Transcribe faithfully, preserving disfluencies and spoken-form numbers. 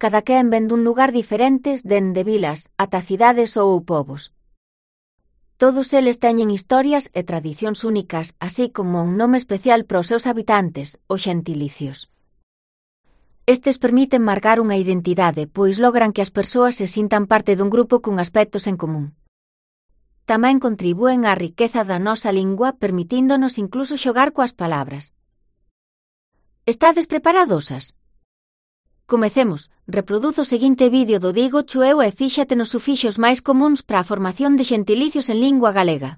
cada quen ven dun lugar diferente dende vilas ata cidades ou povos. Todos eles teñen historias e tradicións únicas, así como un nome especial para os seus habitantes, os xentilicios. Estes permiten marcar unha identidade, pois logran que as persoas se sintan parte dun grupo con aspectos en común. Tamén contribúen á riqueza da nosa lingua, permitíndonos incluso xogar coas palabras. Estades preparadosas? Comecemos. Reproduzo o seguinte vídeo do Digo Chueu e fíxate nos sufixos máis comúns para a formación de xentilicios en lingua galega.